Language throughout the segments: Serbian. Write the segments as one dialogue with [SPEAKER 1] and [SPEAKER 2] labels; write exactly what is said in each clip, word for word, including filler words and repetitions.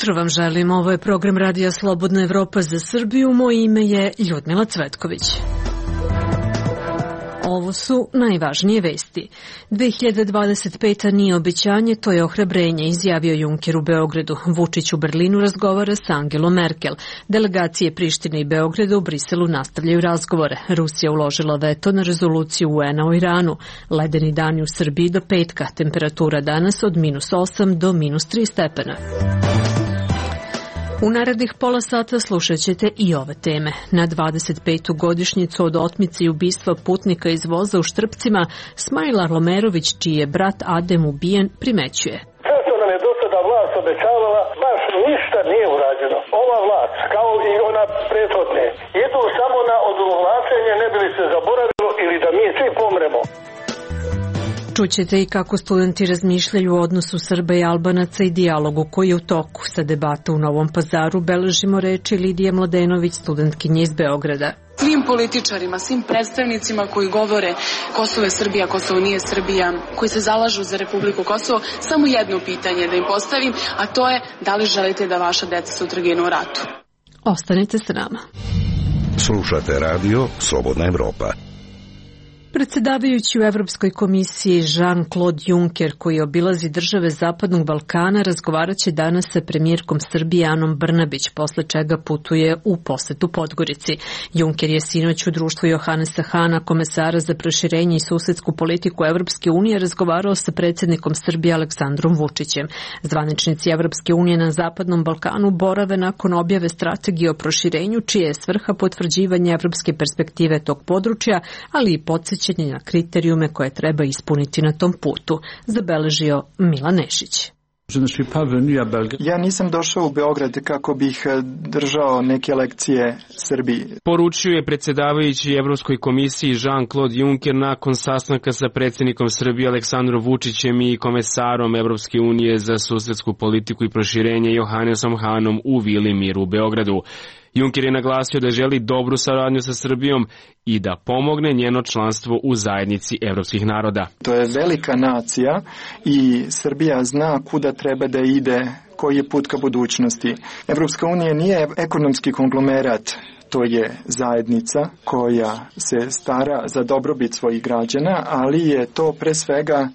[SPEAKER 1] jutro vam želim. Ovo je program Radija Slobodna Evropa za Srbiju. Moje ime je Ljudmila Cvetković. Ovo su najvažnije vesti. dve hiljade dvadeset peta nije obećanje, to je ohrabrenje, izjavio Juncker u Beogradu. Vučić u Berlinu razgovara sa Angelom Merkel. Delegacije Prištine i Beograda u Briselu nastavljaju razgovore. Rusija uložila veto na rezoluciju U N-a o Iranu. Ledeni dani u Srbiji do petka. Temperatura danas od minus osam do minus tri stepena. U narednih pola sata slušat ćete i ove teme. Na dvadeset petu godišnjicu od otmice i ubistva putnika iz voza u Štrpcima, Smajla Lomerović, čiji je brat Adem ubijen, primećuje.
[SPEAKER 2] Sve što nam je do sada vlast obećavala, baš ništa nije urađeno. Ova vlast, kao i ona prethodne, idu samo na odugovlačenje, ne bi li se zaboravilo ili da mi svi pomremo.
[SPEAKER 1] Čućete i kako studenti razmišljaju o odnosu Srba i Albanaca i dijalogu koji je u toku. Sa debata u Novom Pazaru beležimo reči Lidije Mladenović, studentkinje iz Beograda.
[SPEAKER 3] Svim političarima, svim predstavnicima koji govore Kosovo je Srbija, Kosovo nije Srbija, koji se zalažu za Republiku Kosovo, samo jedno pitanje da im postavim, a to je da li želite da vaša deca sutra ginu u ratu.
[SPEAKER 1] Ostanite s nama.
[SPEAKER 4] Slušate radio Slobodna Evropa.
[SPEAKER 1] Predsjedavajući u Evropskoj komisiji Jean-Claude Juncker, koji obilazi države Zapadnog Balkana, razgovarat će danas sa premijerkom Srbije Anom Brnabić, posle čega putuje u posetu Podgorici. Juncker je sinoć u društvu Johanesa Hana, komesara za proširenje i susedsku politiku Evropske unije, razgovarao sa predsjednikom Srbije Aleksandrom Vučićem. Zvaničnici Evropske unije na Zapadnom Balkanu borave nakon objave strategije o proširenju, čije je svrha potvrđivanje evropske perspektive tog područja, ali i podsjećanje na kriterijume koje treba ispuniti na tom putu, zabeležio Milan Nešić.
[SPEAKER 5] Ja nisam došao u Beograd kako bih držao neke lekcije Srbiji.
[SPEAKER 6] Poručio je predsjedavajući Evropskoj komisiji Jean-Claude Juncker nakon sastanka sa predsjednikom Srbije Aleksandrom Vučićem i komesarom Evropske unije za susedsku politiku i proširenje Johanesom Hanom u Vili Mir u Beogradu. Juncker je naglasio da želi dobru saradnju sa Srbijom i da pomogne njeno članstvo u zajednici evropskih naroda.
[SPEAKER 5] To je velika nacija i Srbija zna kuda treba da ide, koji je put ka budućnosti. Evropska unija nije ekonomski konglomerat, to je zajednica koja se stara za dobrobit svojih građana, ali je to pre svega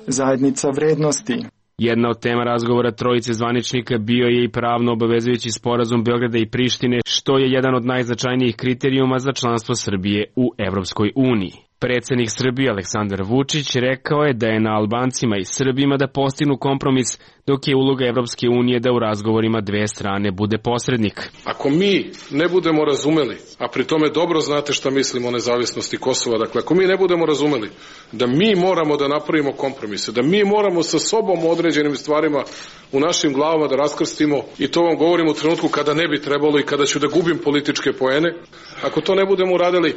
[SPEAKER 5] zajednica vrednosti.
[SPEAKER 6] Jedna od tema razgovora trojice zvaničnika bio je i pravno obavezujući sporazum Beograda i Prištine, što je jedan od najznačajnijih kriterijuma za članstvo Srbije u Evropskoj uniji. Predsjednik Srbije Aleksandar Vučić rekao je da je na Albancima i Srbima da postignu kompromis, dok je uloga Evropske unije da u razgovorima dve strane bude posrednik.
[SPEAKER 7] Ako mi ne budemo razumeli, a pri tome dobro znate šta mislimo o nezavisnosti Kosova, dakle ako mi ne budemo razumeli da mi moramo da napravimo kompromise, da mi moramo sa sobom u određenim stvarima u našim glavama da raskrstimo, i to vam govorim u trenutku kada ne bi trebalo i kada ću da gubim političke poene, ako to ne budemo uradili,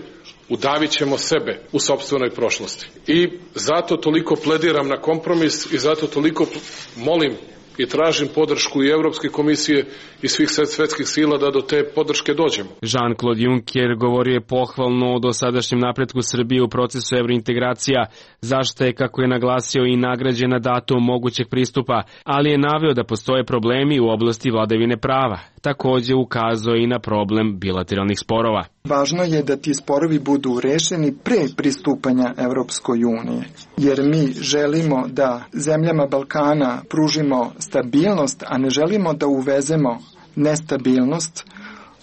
[SPEAKER 7] udavit ćemo sebe u sopstvenoj prošlosti. I zato toliko plediram na kompromis i zato toliko molim i tražim podršku i Evropske komisije i svih svetskih sila da do te podrške dođemo.
[SPEAKER 6] Jean-Claude Juncker govorio je pohvalno o dosadašnjem napretku Srbije u procesu evrointegracija, zašto je, kako je naglasio, i nagrađena datum mogućeg pristupa, ali je naveo da postoje problemi u oblasti vladavine prava. Također ukazao i na problem bilateralnih sporova.
[SPEAKER 5] Važno je da ti sporovi budu rešeni pre pristupanja Evropskoj uniji, jer mi želimo da zemljama Balkana pružimo stabilnost, a ne želimo da uvezemo nestabilnost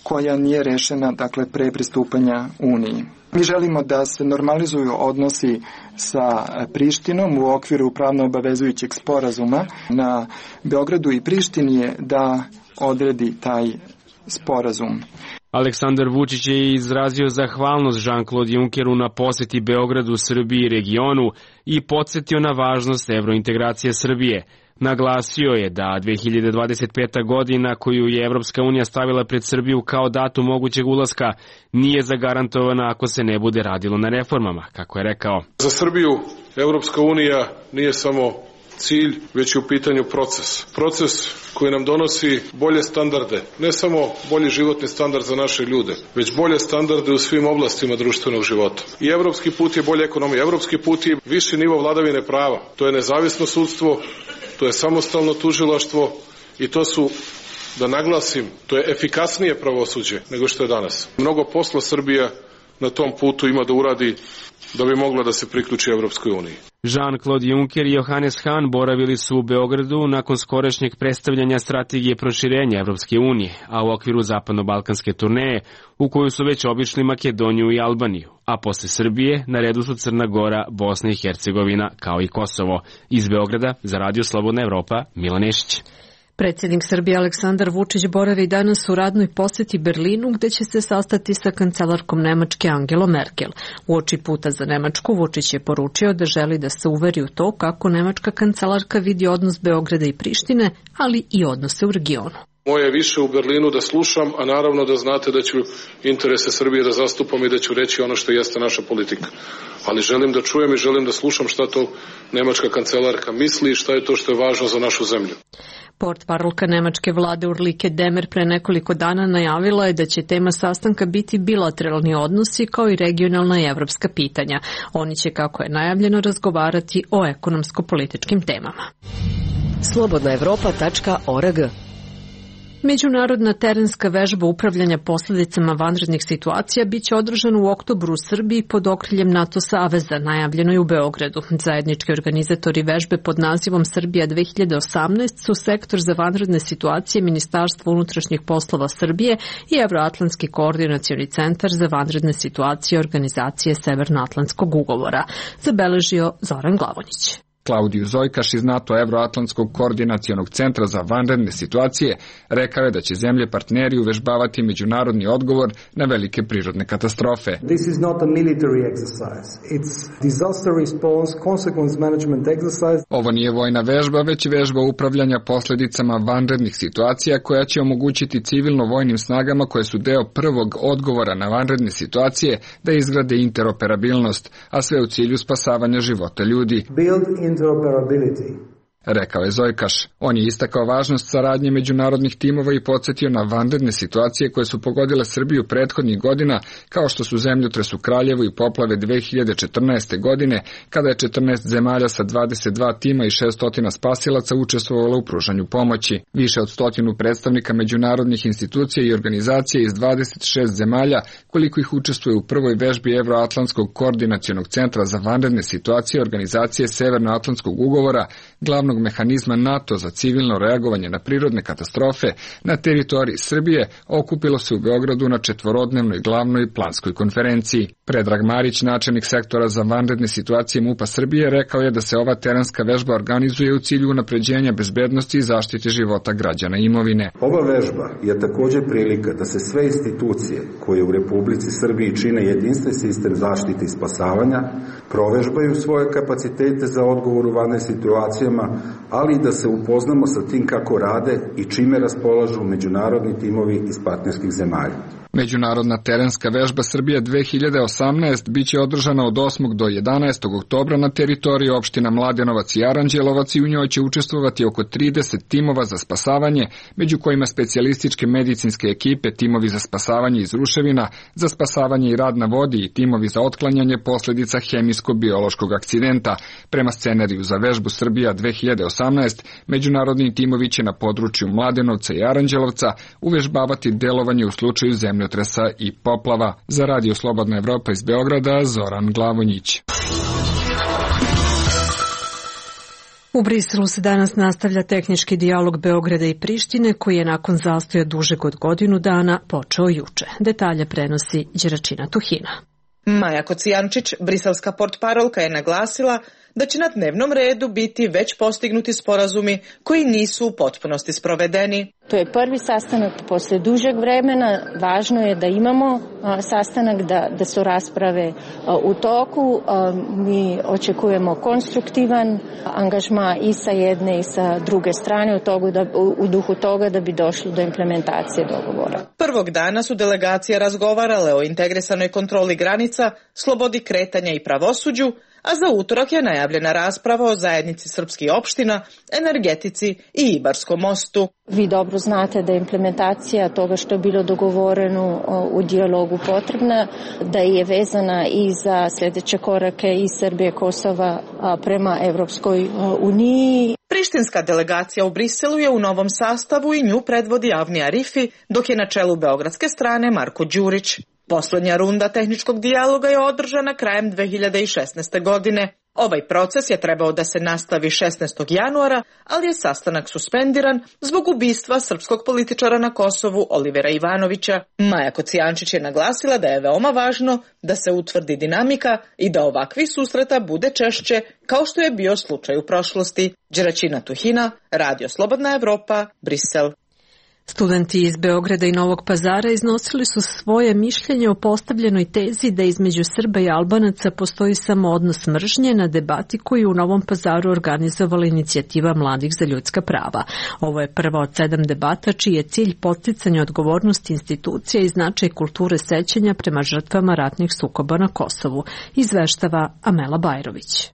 [SPEAKER 5] koja nije rešena, dakle, pre pristupanja Uniji. Mi želimo da se normalizuju odnosi sa Prištinom u okviru pravno obavezujućeg sporazuma. Na Beogradu i Prištini je da odredi taj sporazum.
[SPEAKER 6] Aleksandar Vučić je izrazio zahvalnost Jean-Claude Junckeru na poseti Beogradu, Srbiji i regionu i podsjetio na važnost evrointegracije Srbije. Naglasio je da dve hiljade dvadeset peta godina koju je Evropska unija stavila pred Srbiju kao datum mogućeg ulaska nije zagarantovana ako se ne bude radilo na reformama, kako je rekao.
[SPEAKER 7] Za Srbiju Evropska unija nije samo cilj, već je u pitanju proces. Proces koji nam donosi bolje standarde, ne samo bolji životni standard za naše ljude, već bolje standarde u svim oblastima društvenog života. I evropski put je bolja ekonomija, evropski put je viši nivo vladavine prava. To je nezavisno sudstvo, to je samostalno tužilaštvo i to su da naglasim, to je efikasnije pravosuđe nego što je danas. Mnogo posla Srbija na tom putu ima da uradi da bi mogla da se priključi Evropskoj uniji.
[SPEAKER 6] Jean-Claude Juncker i Johannes Hahn boravili su u Beogradu nakon skorešnjeg predstavljanja strategije proširenja Evropske unije, a u okviru zapadno-balkanske turneje, u koju su već obišli Makedoniju i Albaniju, a posle Srbije na redu su Crna Gora, Bosna i Hercegovina, kao i Kosovo. Iz Beograda za Radio Slobodna Evropa, Milan Nešić.
[SPEAKER 1] Predsjednik Srbije Aleksandar Vučić boravi danas u radnoj poseti Berlinu, gde će se sastati sa kancelarkom Nemačke Angelom Merkel. Uoči puta za Nemačku Vučić je poručio da želi da se uveri u to kako nemačka kancelarka vidi odnos Beograda i Prištine, ali i odnose u regionu.
[SPEAKER 7] Moje je više u Berlinu da slušam, a naravno da znate da ću interese Srbije da zastupam i da ću reći ono što jeste naša politika. Ali želim da čujem i želim da slušam šta to nemačka kancelarka misli i šta je to što je važno za našu zemlju.
[SPEAKER 1] Portparolka nemačke vlade Ulrike Demmer pre nekoliko dana najavila je da će tema sastanka biti bilateralni odnosi kao i regionalna i evropska pitanja. Oni će, kako je najavljeno, razgovarati o ekonomsko-političkim temama.
[SPEAKER 8] slobodna evropa tačka org.
[SPEAKER 1] Međunarodna terenska vežba upravljanja posledicama vanrednih situacija biće održana u oktobru u Srbiji pod okriljem NATO saveza, najavljeno je u Beogradu. Zajednički organizatori vežbe pod nazivom Srbija dve hiljade osamnaest su Sektor za vanredne situacije Ministarstva unutrašnjih poslova Srbije i Evroatlantski koordinacioni centar za vanredne situacije Organizacije Severnoatlantskog ugovora, zabeležio Zoran Glavonjić.
[SPEAKER 9] Klaudiju Zojkaš iz NATO Evroatlantskog koordinacionog centra za vanredne situacije rekao je da će zemlje partneri uvežbavati međunarodni odgovor na velike prirodne katastrofe.
[SPEAKER 10] This is not a military exercise. It's disaster response consequence management exercise.
[SPEAKER 9] Ovo nije vojna vežba, već vežba upravljanja posledicama vanrednih situacija koja će omogućiti civilno-vojnim snagama koje su deo prvog odgovora na vanredne situacije da izgrade interoperabilnost, a sve u cilju spasavanja života ljudi.
[SPEAKER 10] Build interoperability.
[SPEAKER 9] Rekao je Zojkaš. On je istakao važnost saradnje međunarodnih timova i podsjetio na vanredne situacije koje su pogodile Srbiju prethodnih godina, kao što su zemljotres u Kraljevu i poplave dve hiljade četrnaeste. godine, kada je četrnaest zemalja sa dvadeset dva tima i šessto spasilaca učestvovalo u pružanju pomoći. Više od stotinu predstavnika međunarodnih institucija i organizacija iz dvadeset šest zemalja, koliko ih učestvuje u prvoj vežbi Evroatlantskog koordinacionog centra za vanredne situacije Organizacije Severnoatlantskog ugovora, glavnog mehanizma NATO za civilno reagovanje na prirodne katastrofe na teritoriji Srbije, okupilo se u Beogradu na četvorodnevnoj glavnoj planskoj konferenciji. Predrag Marić, načelnik sektora za vanredne situacije MUP-a Srbije, rekao je da se ova terenska vežba organizuje u cilju unapređenja bezbednosti i zaštite života građana i imovine.
[SPEAKER 11] Ova vežba je također prilika da se sve institucije koje u Republici Srbiji čine jedinstven sistem zaštite i spasavanja provežbaju svoje kapacitete za odgovor u vanrednim situacijama, ali i da se upoznamo sa tim kako rade i čime raspolažu međunarodni timovi iz partnerskih zemalja.
[SPEAKER 9] Međunarodna terenska vežba Srbija dve hiljade osamnaest biće održana od osmog do jedanaestog oktobra na teritoriji opština Mladenovac i Aranđelovac i u njoj će učestvovati oko trideset timova za spasavanje, među kojima specijalističke medicinske ekipe, timovi za spasavanje iz ruševina, za spasavanje i rad na vodi i timovi za otklanjanje posledica hemijsko-biološkog akcidenta. Prema scenariju za vežbu Srbija dve hiljade osamnaest, međunarodni timovi će na području Mladenovca i Aranđelovca uvežbavati delovanje u slučaju zemlje i poplava. Za Radio Slobodna Evropa iz Beograda, Zoran Glavonjić.
[SPEAKER 1] U Briselu se danas nastavlja tehnički dijalog Beograda i Prištine, koji je nakon zastoja dužeg od godinu dana počeo juče. Detalje prenosi Đeračina Tuhina.
[SPEAKER 12] Maja Kocijančić, briselska portparolka, je naglasila da će na dnevnom redu biti već postignuti sporazumi koji nisu u potpunosti sprovedeni.
[SPEAKER 13] To je prvi sastanak posle dužeg vremena. Važno je da imamo a, sastanak, da, da su rasprave a, u toku. A, mi očekujemo konstruktivan angažma i sa jedne i sa druge strane u, togu da, u, u duhu toga da bi došlo do implementacije dogovora.
[SPEAKER 12] Prvog dana su delegacije razgovarale o integrisanoj kontroli granica, slobodi kretanja i pravosuđu, a za utorak je najavljena rasprava o zajednici srpskih opština, energetici i Ibarskom mostu.
[SPEAKER 13] Vi dobro znate da je implementacija toga što je bilo dogovoreno u dijalogu potrebna, da je vezana i za sljedeće korake i Srbije, Kosova prema Evropskoj uniji.
[SPEAKER 12] Prištinska delegacija u Briselu je u novom sastavu i nju predvodi Avni Arifi, dok je na čelu beogradske strane Marko Đurić. Poslednja runda tehničkog dijaloga je održana krajem dve hiljade šesnaeste. godine. Ovaj proces je trebao da se nastavi šesnaestog januara, ali je sastanak suspendiran zbog ubistva srpskog političara na Kosovu Olivera Ivanovića. Maja Kocijančić je naglasila da je veoma važno da se utvrdi dinamika i da ovakvih susreta bude češće, kao što je bio slučaj u prošlosti. Đeraćina Tuhina, Radio Slobodna Evropa, Brisel.
[SPEAKER 1] Studenti iz Beograda i Novog Pazara iznosili su svoje mišljenje o postavljenoj tezi da između Srba i Albanaca postoji samo odnos mržnje na debati koju u Novom Pazaru organizovala inicijativa Mladih za ljudska prava. Ovo je prva od sedam debata čiji je cilj podsticanje odgovornosti institucija i značaj kulture sećanja prema žrtvama ratnih sukoba na Kosovu, izveštava Amela Bajrović.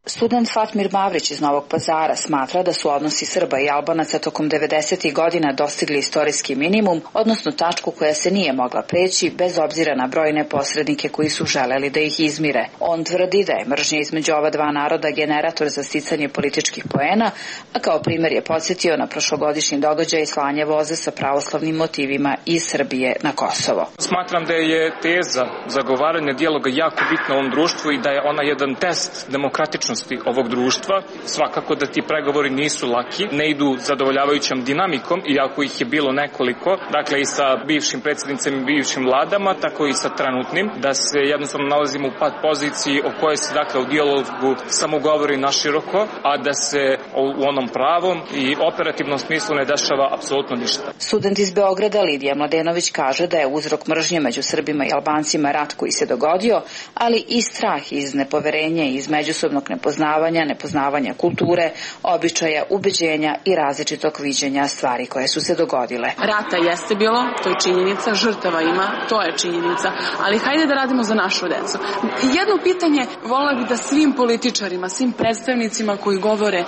[SPEAKER 14] Student Fatmir Mavrić iz Novog Pazara smatra da su odnosi Srba i Albanaca tokom devedesetih godina dostigli istorijski minimum, odnosno tačku koja se nije mogla preći bez obzira na brojne posrednike koji su želeli da ih izmire. On tvrdi da je mržnja između ova dva naroda generator za sticanje političkih poena, a kao primjer je podsjetio na prošlogodišnji događaj slanje voza sa pravoslavnim motivima iz Srbije na Kosovo.
[SPEAKER 15] Smatram da je teza zagovaranja dijaloga jako bitna u ovom društvu i da je ona jedan test demokratičnosti ovog društva. Svakako da ti pregovori nisu laki, ne idu zadovoljavajućom dinamikom, iako ih je bilo nekoliko, dakle i sa bivšim predsjednicima i bivšim vladama, tako i sa trenutnim, da se jednostavno nalazimo u pad poziciji o kojoj se dakle u dijalogu samo govori naširoko, a da se u onom pravom i operativnom smislu ne dešava apsolutno ništa.
[SPEAKER 14] Student iz Beograda Lidija Mladenović kaže da je uzrok mržnje među Srbima i Albancima rat koji se dogodio, ali i strah iz nepoverenja i iz međusobnog nepoznavanja, nepoznavanja kulture, običaja, ubeđenja i različitog viđenja stvari koje su se dogodile.
[SPEAKER 3] Rata jeste bilo, to je činjenica, žrtava ima, to je činjenica, ali hajde da radimo za našu decu. Jedno pitanje volela bih da svim političarima, svim predstavnicima koji govore e,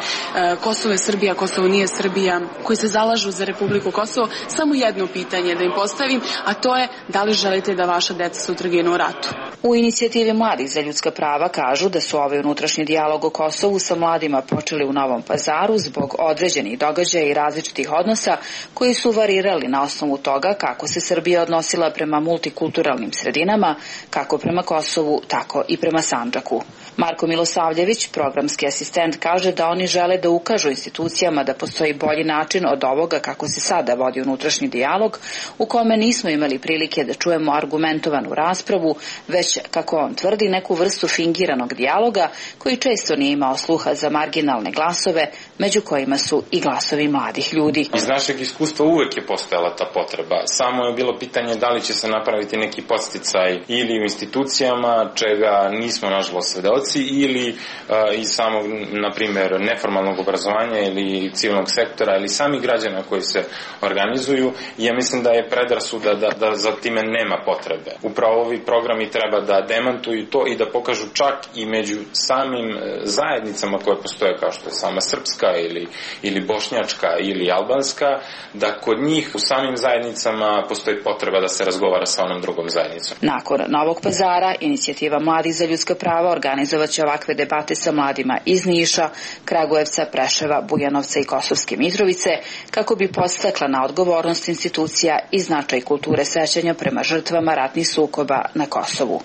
[SPEAKER 3] Kosovo je Srbija, Kosovo nije Srbija, koji se zalažu za Republiku Kosovo, samo jedno pitanje da im postavim, a to je da li želite da vaša deca sutra ginu u ratu?
[SPEAKER 14] U inicijativi Mladih za ljudska prava kažu da su ovaj unutrašnji dijalog o Kosovu sa mladima počeli u Novom Pazaru zbog određenih događaja i različitih odnosa koji su varirali na osnovu toga kako se Srbija odnosila prema multikulturalnim sredinama, kako prema Kosovu, tako i prema Sandžaku. Marko Milosavljević, programski asistent, kaže da oni žele da ukažu institucijama da postoji bolji način od ovoga kako se sada vodi unutrašnji dijalog, u kome nismo imali prilike da čujemo argumentovanu raspravu, već, kako on tvrdi, neku vrstu fingiranog dijaloga koji često nije imao sluha za marginalne glasove, među kojima su i glasovi mladih ljudi.
[SPEAKER 16] Iz našeg iskustva uvek je postojala ta potreba. Samo je bilo pitanje da li će se napraviti neki podsticaj ili u institucijama, čega nismo nažalost svedoci, ili uh, iz samog, na primjer, neformalnog obrazovanja ili civilnog sektora ili samih građana koji se organizuju. I ja mislim da je predrasuda da, da za time nema potrebe. Upravo ovi programi treba da demantuju to i da pokažu čak i među samim zajednicama koje postoje, kao što je sama srpska ili, ili bošnjačka ili albanska, da kod njih u samim zajednicama postoji potreba da se razgovara sa onom drugom zajednicom.
[SPEAKER 14] Nakon Novog Pazara, inicijativa Mladih za ljudska prava organizovat će ovakve debate sa mladima iz Niša, Kragujevca, Preševa, Bujanovca i Kosovske Mitrovice, kako bi podstakla na odgovornost institucija i značaj kulture sećanja prema žrtvama ratnih sukoba na Kosovu.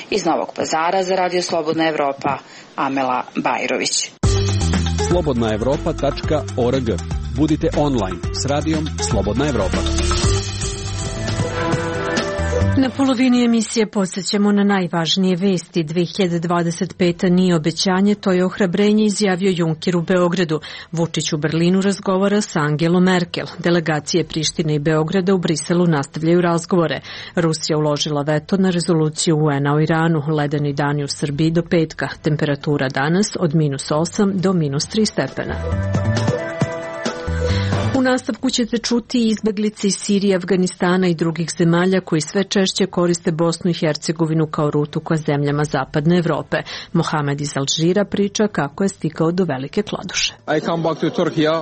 [SPEAKER 14] Iz Novog Pazara za Radio Slobodna Evropa, Amela Bajrović.
[SPEAKER 17] slobodna evropa tačka org. Budite online s radijom Slobodna Evropa.
[SPEAKER 1] Na polovini emisije podsjećamo na najvažnije vesti. dve hiljade dvadeset peta nije obećanje, to je ohrabrenje, izjavio Juncker u Beogradu. Vučić u Berlinu razgovara sa Angelom Merkel. Delegacije Prištine i Beograda u Briselu nastavljaju razgovore. Rusija uložila veto na rezoluciju U N-a o Iranu. Ledeni dani u Srbiji do petka. Temperatura danas od minus osam do minus tri stepena. U nastavku ćete čuti izbeglice iz Sirije, Afganistana i drugih zemalja koji sve češće koriste Bosnu i Hercegovinu kao rutu ka zemljama zapadne Evrope. Mohamed iz Alžira priča kako je stigao do Velike Kladuše.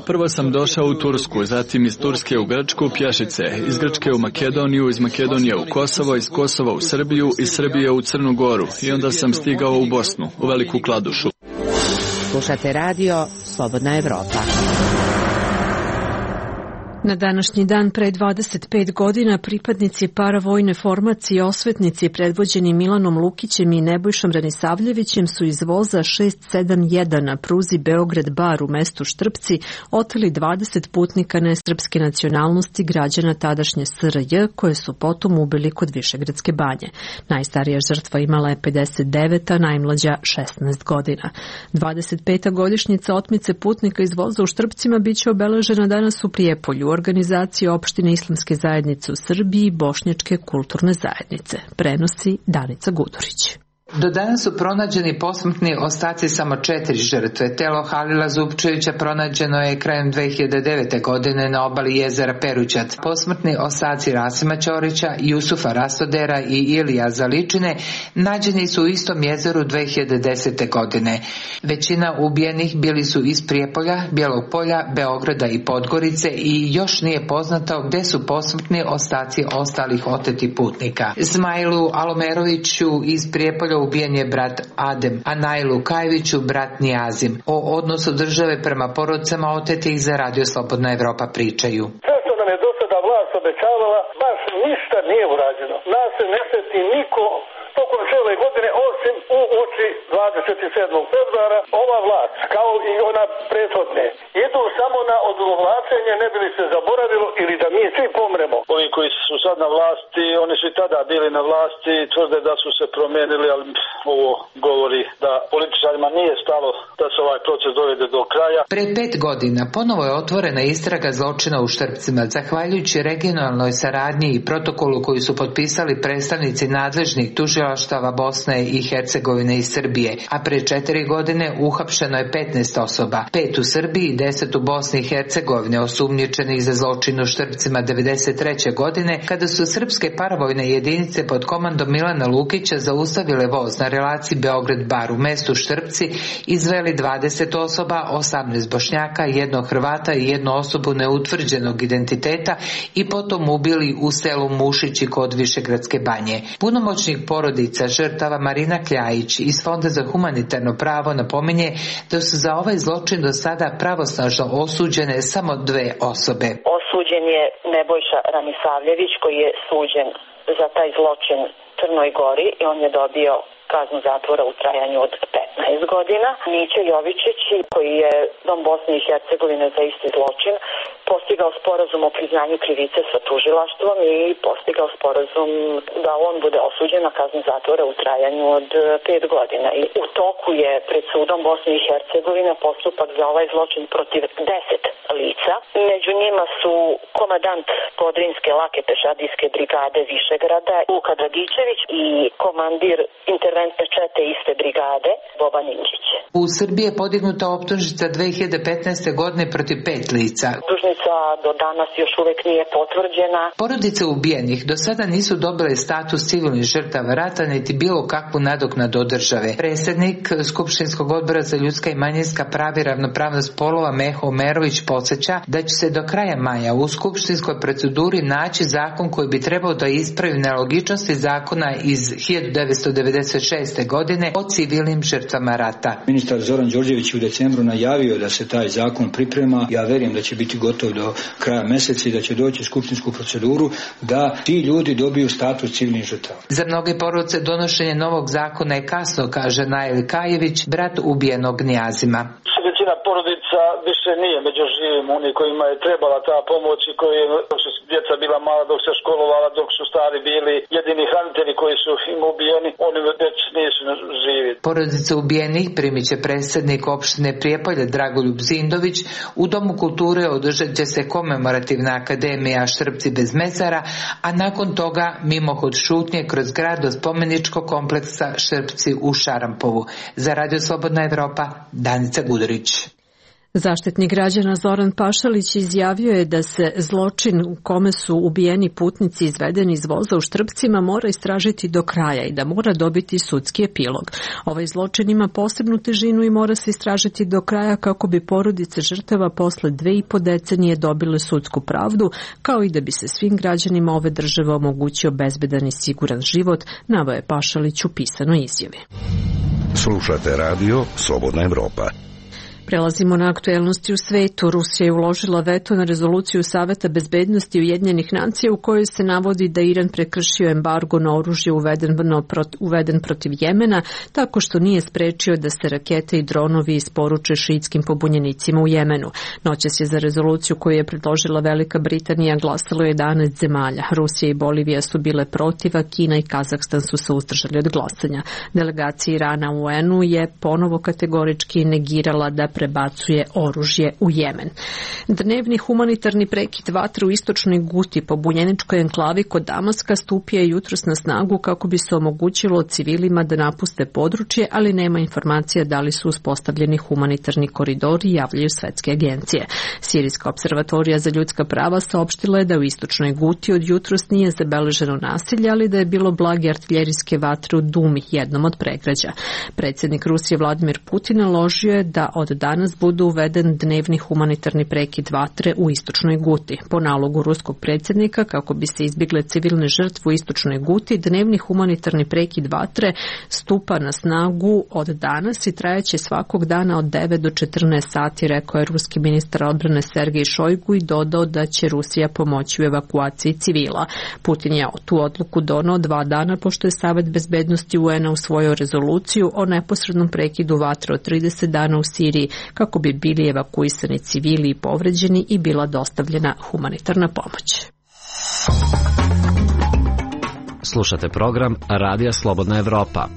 [SPEAKER 18] Prvo sam došao u Tursku, zatim iz Turske u Grčku pješice, iz Grčke u Makedoniju, iz Makedonije u Kosovo, iz Kosova u Srbiju, iz Srbije u Crnu Goru i onda sam stigao u Bosnu, u Veliku Kladušu.
[SPEAKER 8] Slušate radio Slobodna Evropa.
[SPEAKER 1] Na današnji dan pre dvadeset pet godina pripadnici paravojne formacije osvetnici predvođeni Milanom Lukićem i Nebojšom Ranisavljevićem su iz voza šest sedam jedan na pruzi Beograd-Bar u mestu Štrpci oteli dvadeset putnika nesrpske nacionalnosti građana tadašnje S R J koje su potom ubili kod Višegradske banje. Najstarija žrtva imala je pedeset devet, a najmlađa šesnaest godina. dvadeset peta godišnjica otmice putnika iz voza u Štrpcima biće obeležena danas u Prijepolju, organizacije opštine Islamske zajednice u Srbiji i Bošnjačke kulturne zajednice. Prenosi Danica Gudurić.
[SPEAKER 19] Do danas su pronađeni posmrtni ostaci samo četiri žrtve. Telo Halila Zupčevića pronađeno je krajem dve hiljade devete. godine na obali jezera Perućac. Posmrtni ostaci Rasima Ćorića, Jusufa Rastodera i Ilija Zaličine nađeni su u istom jezeru dve hiljade desete. godine. Većina ubijenih bili su iz Prijepolja, Bijelog Polja, Beograda i Podgorice i još nije poznato gde su posmrtni ostaci ostalih otetih putnika. Zmajlu Alomeroviću iz Prijepolja ubijen je brat Adem, a Najlu Kajeviću brat Nijazim. O odnosu države prema porodicama otetih za Radio Slobodna Evropa pričaju.
[SPEAKER 2] Sve što nam je do sada vlast obećavala, baš ništa nije urađeno. Nas se ne seti niko tokom cijele godine, osim u oči dvadeset sedmog februara, ova vlast, kao i ona prethodne, idu samo na odugovlačenje, ne bi li se zaboravilo ili da mi svi pomremo.
[SPEAKER 20] Ovi koji su sad na vlasti, oni su i tada bili na vlasti, tvrde da su se promijenili, ali ovo govori da političarima nije stalo da se ovaj proces dovede do kraja.
[SPEAKER 19] Pre pet godina ponovo je otvorena istraga zločina u Štrpcima, zahvaljujući regionalnoj saradnji i protokolu koji su potpisali predstavnici nadležnih tužilaštava Bosne i Hercegovine i Srbije, a pre četiri godine uhapšeno je petnaest osoba, pet u Srbiji i deset u Bosni i Hercegovine osumnjičenih za zločin u Štrpcima devedeset treće. godine, kada su srpske paravojne jedinice pod komandom Milana Lukića zaustavile voz na relaciji Beograd-Bar u mestu Štrpci, izveli dvadeset osoba, osamnaest Bošnjaka, jednog Hrvata i jednu osobu neutvrđenog identiteta i potom ubili u selu Mušići kod Višegradske banje. Punomoćnik porodica žrtava Marina Kljajić iz Fonda za humanitarno pravo napominje da su za ovaj zločin do sada pravosnažno osuđene samo dve osobe.
[SPEAKER 21] Osuđen je Nebojša Ranisavljević koji je suđen za taj zločin Crnoj Gori i on je dobio kaznu zatvora u trajanju od petnaest godina. Mića Jovičić koji je Dom Bosne i Hercegovine za isti zločin postigao sporazum o priznanju krivice sa tužilaštvom i postigao sporazum da on bude osuđen na kaznu zatvora u trajanju od pet godina. I u toku je pred sudom Bosne i Hercegovine postupak za ovaj zločin protiv deset lica. Među njima su komadant Podrinske lake pešadijske brigade Višegrada Luka Dragičević i komandir interventne čete iste brigade Boban Indžić.
[SPEAKER 19] U Srbiji je podignuta optužnica dve hiljade petnaeste. godine protiv pet lica.
[SPEAKER 21] Optužnica do danas još uvek nije potvrđena.
[SPEAKER 19] Porodice ubijenih do sada nisu dobile status civilnih žrtava rata niti bilo kakvu nadoknadu od države. Predsjednik Skupštinskog odbora za ljudska i manjinska prava i ravnopravnost polova Meho Omerović podsjeća da će se do kraja maja u skupštinskoj proceduri naći zakon koji bi trebao da ispravi nelogičnosti zakona iz hiljadu devetsto devedeset šeste. godine o civilnim žrtvama rata.
[SPEAKER 22] Ministar Zoran Đorđević u decembru najavio da se taj zakon priprema. Ja verujem da će biti gotov do kraja meseca i da će doći u skupštinsku proceduru da ti ljudi dobiju status civilnih žrtava.
[SPEAKER 19] Za mnoge porodice donošenje novog zakona je kasno, kaže Najli Kajević, brat ubijenog Nijazima.
[SPEAKER 20] Većina porodica više nije među živim, oni kojima je trebala ta pomoć i koji dok su djeca bila mala, dok se školovala, dok su stari bili jedini hranitelji koji su im ubijeni, oni već nisu živi.
[SPEAKER 19] Porodice ubijenih primit će predsjednik opštine Prijepolje Dragoljub Zindović. U Domu kulture održat će se komemorativna akademija Štrpci bez mezara, a nakon toga mimohod šutnje kroz grad do spomeničkog kompleksa Štrpci u Šarampovu. Za Radio Slobodna Evropa, Danica Gudurić.
[SPEAKER 1] Zaštitnik građana Zoran Pašalić izjavio je da se zločin u kome su ubijeni putnici izvedeni iz voza u Štrpcima mora istražiti do kraja i da mora dobiti sudski epilog. Ovaj zločin ima posebnu težinu i mora se istražiti do kraja kako bi porodice žrtava posle dve i po decenije dobile sudsku pravdu, kao i da bi se svim građanima ove države omogućio bezbedan i siguran život, naveo je Pašalić u pisanoj izjavi.
[SPEAKER 4] Slušate radio Slobodna Evropa.
[SPEAKER 1] Prelazimo na aktuelnosti u svetu. Rusija je uložila veto na rezoluciju Saveta bezbednosti Ujedinjenih nacija u kojoj se navodi da Iran prekršio embargo na oružje uveden, uveden protiv Jemena tako što nije sprečio da se rakete i dronovi isporuče šiitskim pobunjenicima u Jemenu. Noćas je za rezoluciju koju je predložila Velika Britanija glasalo jedanaest zemalja. Rusija i Bolivija su bile protiv, a Kina i Kazahstan su se uzdržali od glasanja. Delegacija Irana u U N-u je ponovo kategorički negirala da prebacuje oružje u Jemen. Dnevni humanitarni prekid vatre u istočnoj Guti, pobunjeničkoj enklavi kod Damaska, stupio je jutros na snagu kako bi se omogućilo civilima da napuste područje, ali nema informacija da li su uspostavljeni humanitarni koridori, javljaju svetske agencije. Sirijska observatorija za ljudska prava saopštila je da u istočnoj Guti od jutros nije zabeleženo nasilje, ali da je bilo blage artiljerijske vatre u Dumi, jednom od pregrađa. Predsjednik Rusije Vladimir Putin naložio je da od danas bude uveden dnevni humanitarni prekid vatre u istočnoj Guti. Po nalogu ruskog predsjednika, kako bi se izbjegle civilne žrtve u istočnoj Guti, dnevni humanitarni prekid vatre stupa na snagu od danas i trajaće svakog dana od devet do četrnaest sati, rekao je ruski ministar odbrane Sergej Šojgu i dodao da će Rusija pomoći u evakuaciji civila. Putin je tu odluku donao dva dana pošto je Savet bezbednosti U N-a usvojio rezoluciju o neposrednom prekidu vatre od trideset dana u Siriji kako bi bili evakuisani civili i povređeni i bila dostavljena humanitarna pomoć.
[SPEAKER 5] Slušate program Radija Slobodna Evropa.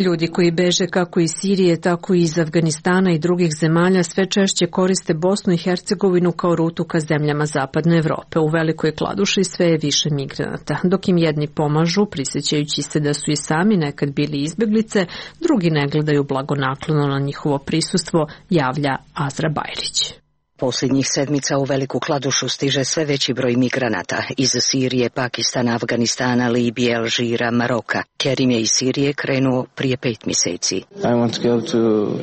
[SPEAKER 1] Ljudi koji beže kako iz Sirije, tako i iz Afganistana i drugih zemalja sve češće koriste Bosnu i Hercegovinu kao rutu ka zemljama Zapadne Evrope. U Velikoj Kladuši sve je više migranata. Dok im jedni pomažu, prisjećajući se da su i sami nekad bili izbjeglice, drugi ne gledaju blagonaklono na njihovo prisustvo, javlja Azra Bajrić.
[SPEAKER 23] Posljednjih sedmica u Veliku Kladušu stiže sve veći broj migranata iz Sirije, Pakistana, Afganistana, Libije, Alžira, Maroka. Kerim je iz Sirije krenuo prije pet mjeseci.
[SPEAKER 24] I want to go to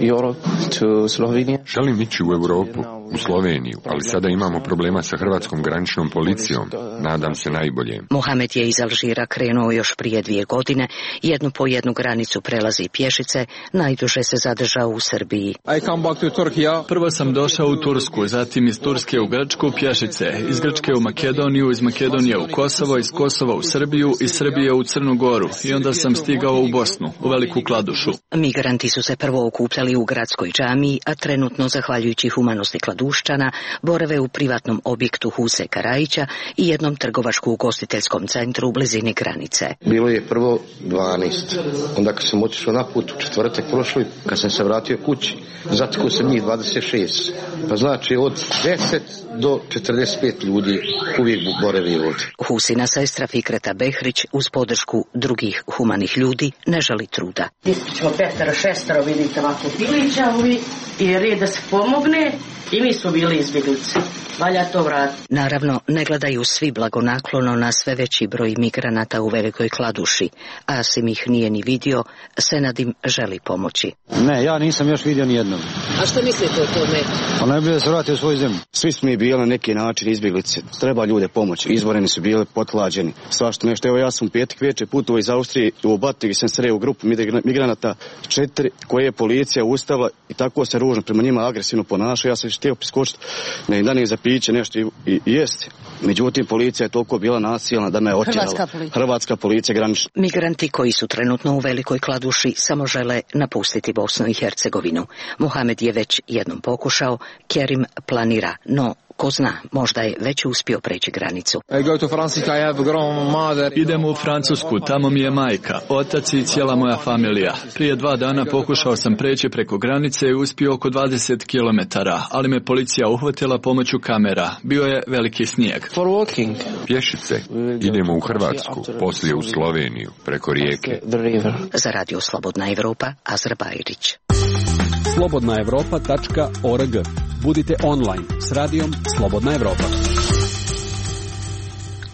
[SPEAKER 24] Europe, to Slovenia.
[SPEAKER 25] Želim ići u Europu, u Sloveniju, ali sada imamo problema sa hrvatskom graničnom policijom. Nadam se najbolje.
[SPEAKER 23] Mohamed je iz Alžira krenuo još prije dvije godine. Jednu po jednu granicu prelazi pješice, najduže se zadržao u Srbiji.
[SPEAKER 18] I come back to Turkey. Prvo sam došao u Tursku, zatim iz Turske u Grčku pješice, iz Grčke u Makedoniju, iz Makedonije u Kosovo, iz Kosova u Srbiju, iz Srbije u Crnu Goru i onda sam stigao u Bosnu, u Veliku Kladušu.
[SPEAKER 23] Migranti su se prvo okupljali u gradskoj džamiji, a trenutno, zahvaljujući humanosti Kladuščana, borave u privatnom objektu Huse Karajića i jednom trgovačko-ugostiteljskom centru u blizini granice.
[SPEAKER 24] Bilo je prvo dvanaest, onda kad sam otišao na put u četvrtak prošli, kad sam se vratio kući, zatekao sam njih dvadeset šest. Pa znači od deset do četrdeset pet ljudi uvijek boravi ovdje.
[SPEAKER 23] Husina sestra Fikreta Behrić uz podršku drugih humanih ljudi ne žali truda.
[SPEAKER 26] Ćemo petero, šestero, vidite ovako pilića ovi i red da se pomogne i mi smo bili izbjeglice. Valja to vratiti.
[SPEAKER 23] Naravno, ne gledaju svi blagonaklono na sve veći broj migranata u Velikoj Kladuši. Asim ih nije ni vidio, Senadim želi pomoći.
[SPEAKER 24] Ne, ja nisam još vidio ni jednog.
[SPEAKER 23] A što mislite o tome?
[SPEAKER 24] Pa najbolje da se vrati u svoju zemlju. Svi smo mi bili na neki način izbjeglice. Treba ljude pomoći. Izboreni su bili potlađeni. Svašta nešto. Evo ja sam u petak večer putovao iz Austrije u Batigi, sam sreo u grupu migranata četiri koje je policija ustavila i tako se ružno prema njima agresivno ponaša. Ja sam htio priskočiti na jedan dan za piće nešto i, i, i jesti. Međutim, policija je toliko bila nasilna da me je otjerala.
[SPEAKER 23] Hrvatska policija.
[SPEAKER 24] Hrvatska policija granična.
[SPEAKER 23] Migranti koji su trenutno u Velikoj Kladuši samo žele napustiti Bosnu i Hercegovinu. Mohamed je već jednom pokušao, Kerim planira, no ko zna, možda je već uspio preći granicu.
[SPEAKER 18] Idem u Francusku, tamo mi je majka, otac i cijela moja familija. Prije dva dana pokušao sam preći preko granice i uspio oko dvadeset kilometara, ali me policija uhvatila pomoću kamera. Bio je veliki snijeg.
[SPEAKER 25] Pješice. Idemo u Hrvatsku, poslije u Sloveniju, preko rijeke.
[SPEAKER 23] Za Radio Slobodna Evropa, Azra Bajrić.
[SPEAKER 17] slobodna evropa tačka org. Budite online s radijom Slobodna Evropa.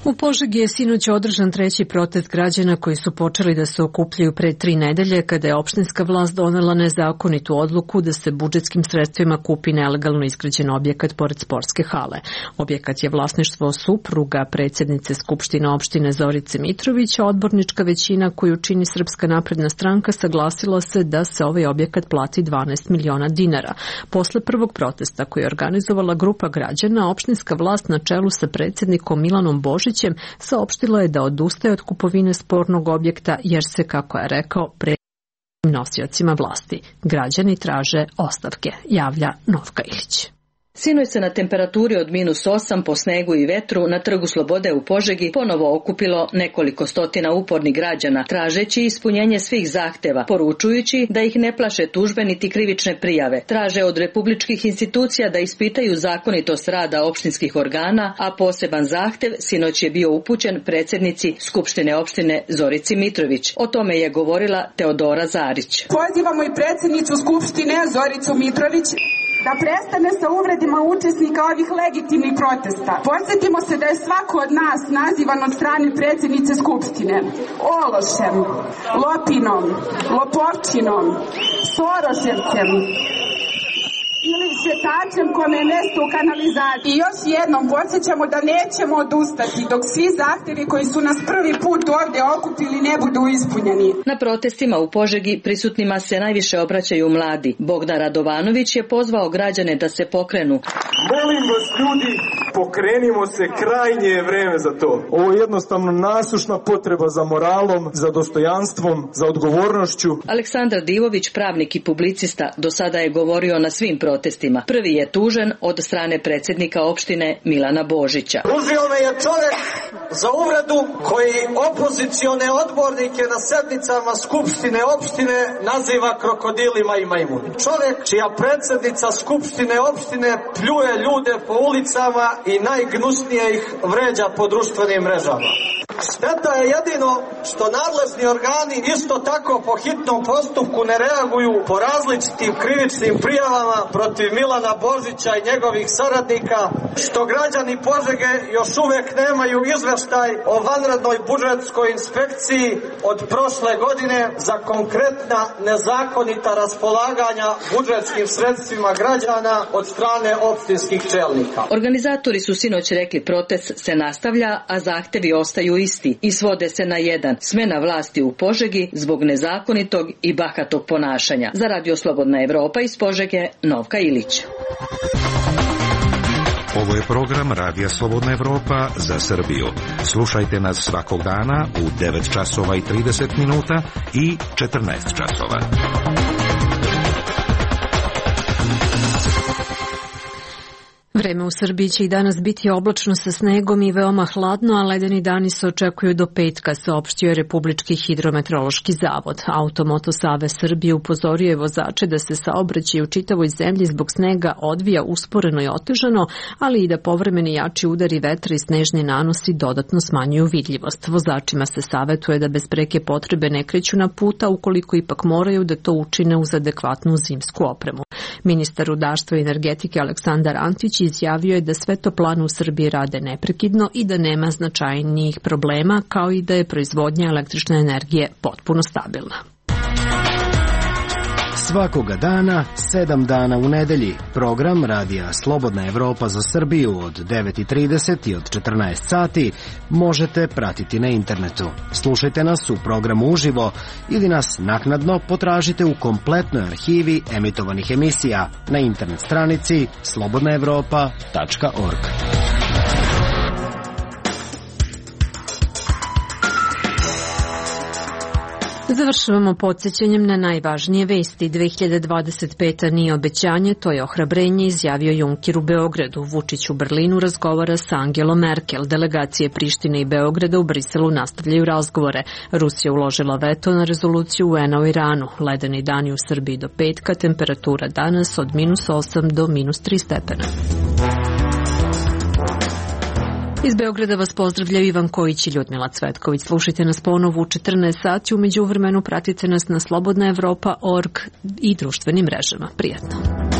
[SPEAKER 1] U Požegi je sinoć održan treći protest građana koji su počeli da se okupljaju pre tri nedelje kada je opštinska vlast donela nezakonitu odluku da se budžetskim sredstvima kupi nelegalno izgrađen objekat pored sportske hale. Objekat je vlasništvo supruga predsjednice Skupštine opštine Zorice Mitrović, a odbornička većina koju čini Srpska napredna stranka saglasila se da se ovaj objekat plati dvanaest miliona dinara. Posle prvog protesta koji je organizovala grupa građana, opštinska vlast na čelu sa predsjednikom Milanom Božićem saopštila je da odustaje od kupovine spornog objekta jer se, kako je rekao, pre nosiocima vlasti. Građani traže ostavke, javlja Novka Ilić.
[SPEAKER 6] Sinoć se na temperaturi od minus osam po snegu i vetru na Trgu Slobode u Požegi ponovo okupilo nekoliko stotina upornih građana, tražeći ispunjenje svih zahteva, poručujući da ih ne plaše tužbe niti krivične prijave. Traže od republičkih institucija da ispitaju zakonitost rada opštinskih organa, a poseban zahtev sinoć je bio upućen predsjednici Skupštine opštine Zorici Mitrović. O tome je govorila Teodora Zarić.
[SPEAKER 7] Pozivamo i predsjednicu Skupštine Zoricu Mitrović da prestane sa uvredima učesnika ovih legitimnih protesta. Podsjetimo se da je svako od nas nazivan od strane predsjednice Skupštine ološem, lopinom, lopovčinom, soroševcem ili šetačem kome je mesto u kanalizaciji. I još jednom podsjećamo da nećemo odustati dok svi zahtjevi koji su nas prvi put ovdje okupili ne budu ispunjeni.
[SPEAKER 6] Na protestima u Požegi prisutnima se najviše obraćaju mladi. Bogdan Radovanović je pozvao građane da se pokrenu.
[SPEAKER 9] Molim vas ljudi, pokrenimo se, krajnje je vreme za to. Ovo je jednostavno nasušna potreba za moralom, za dostojanstvom, za odgovornošću.
[SPEAKER 6] Aleksandar Divović, pravnik i publicista, do sada je govorio na svim protestima. Prvi je tužen od strane predsjednika opštine Milana Božića.
[SPEAKER 10] Tužio me je čovjek za uvredu koji opozicione odbornike na sednicama Skupštine opštine naziva krokodilima i majmuni. Čovjek čija predsjednica Skupštine opštine pljuje ljude po ulicama i najgnusnije ih vređa po društvenim mrežama. Šteta je jedino što nadležni organi isto tako po hitnom postupku ne reaguju po različitim krivičnim prijavama protiv Milana Božića i njegovih saradnika, što građani Požege još uvijek nemaju izveštaj o vanrednoj budžetskoj inspekciji od prošle godine za konkretna nezakonita raspolaganja budžetskim sredstvima građana od strane opštinskih čelnika.
[SPEAKER 6] Organizatori su sinoć rekli protest se nastavlja, a zahtevi ostaju isti i svode se na jedan: smena vlasti u Požegi zbog nezakonitog i bahatog ponašanja. Za Radio Slobodna Evropa iz Požege, Novka Ilić.
[SPEAKER 4] Ovo je program Radija Slobodna Evropa za Srbiju. Slušajte nas svakog dana u devet časova i trideset minuta i četrnaest časova.
[SPEAKER 1] Vreme u Srbiji će i danas biti oblačno sa snegom i veoma hladno, a ledeni dani se očekuju do petka, saopštio je Republički hidrometeorološki zavod. Automoto Save Srbije upozorio je vozače da se saobraćaj u čitavoj zemlji zbog snega odvija usporeno i otežano, ali i da povremeni jači udari vetra i snežni nanosi dodatno smanjuju vidljivost. Vozačima se savetuje da bez preke potrebe ne kreću na puta, ukoliko ipak moraju da to učine uz adekvatnu zimsku opremu. Ministar rudarstva i energetike Aleksandar Antić izjavio je da sve toplane u Srbiji rade neprekidno i da nema značajnijih problema, kao i da je proizvodnja električne energije potpuno stabilna.
[SPEAKER 11] Svakoga dana, sedam dana u nedelji. Program Radija Slobodna Evropa za Srbiju od devet i trideset i od četrnaest sati možete pratiti na internetu. Slušajte nas u programu uživo ili nas naknadno potražite u kompletnoj arhivi emitovanih emisija na internet stranici slobodna evropa tačka org.
[SPEAKER 1] Završavamo podsjećanjem na najvažnije vesti. dve hiljade dvadeset peta nije obećanje, to je ohrabrenje, izjavio Juncker u Beogradu. Vučić u Berlinu razgovara sa Angelom Merkel. Delegacije Prištine i Beograda u Briselu nastavljaju razgovore. Rusija uložila veto na rezoluciju U N-a o Iranu. Ledeni dani u Srbiji do petka, temperatura danas od minus osam do minus tri stepena. Iz Beograda vas pozdravljaju Ivan Kojić i Ljudmila Cvetković. Slušajte nas ponovo u četrnaest sati, u međuvremenu pratite nas na slobodna evropa tačka org i društvenim mrežama. Prijatno.